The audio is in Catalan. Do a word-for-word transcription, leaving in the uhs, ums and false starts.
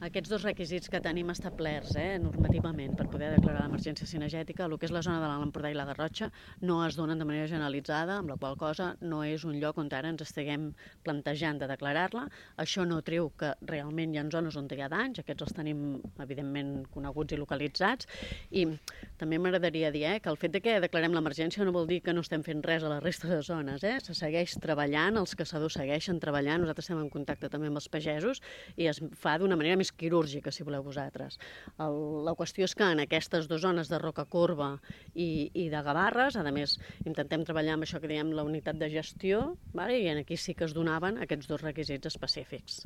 Aquests dos requisits que tenim establerts eh, normativament per poder declarar l'emergència cinegètica, el que és la zona de l'Alt Empordà i la Garrotxa, no es donen de manera generalitzada, amb la qual cosa no és un lloc on ara ens estiguem plantejant de declarar-la. Això no treu que realment hi ha zones on hi ha danys, aquests els tenim evidentment coneguts i localitzats, i també m'agradaria dir eh, que el fet de que declarem l'emergència no vol dir que no estem fent res a la resta de zones, eh? Se segueix treballant, els caçadors segueixen treballant, nosaltres estem en contacte també amb els pagesos i es fa d'una manera més quirúrgica, si voleu vosaltres. El, la qüestió és que en aquestes dues zones de Rocacorba i, i de Gavarres, a més, intentem treballar amb això que diem la unitat de gestió, vale? I aquí sí que es donaven aquests dos requisits específics.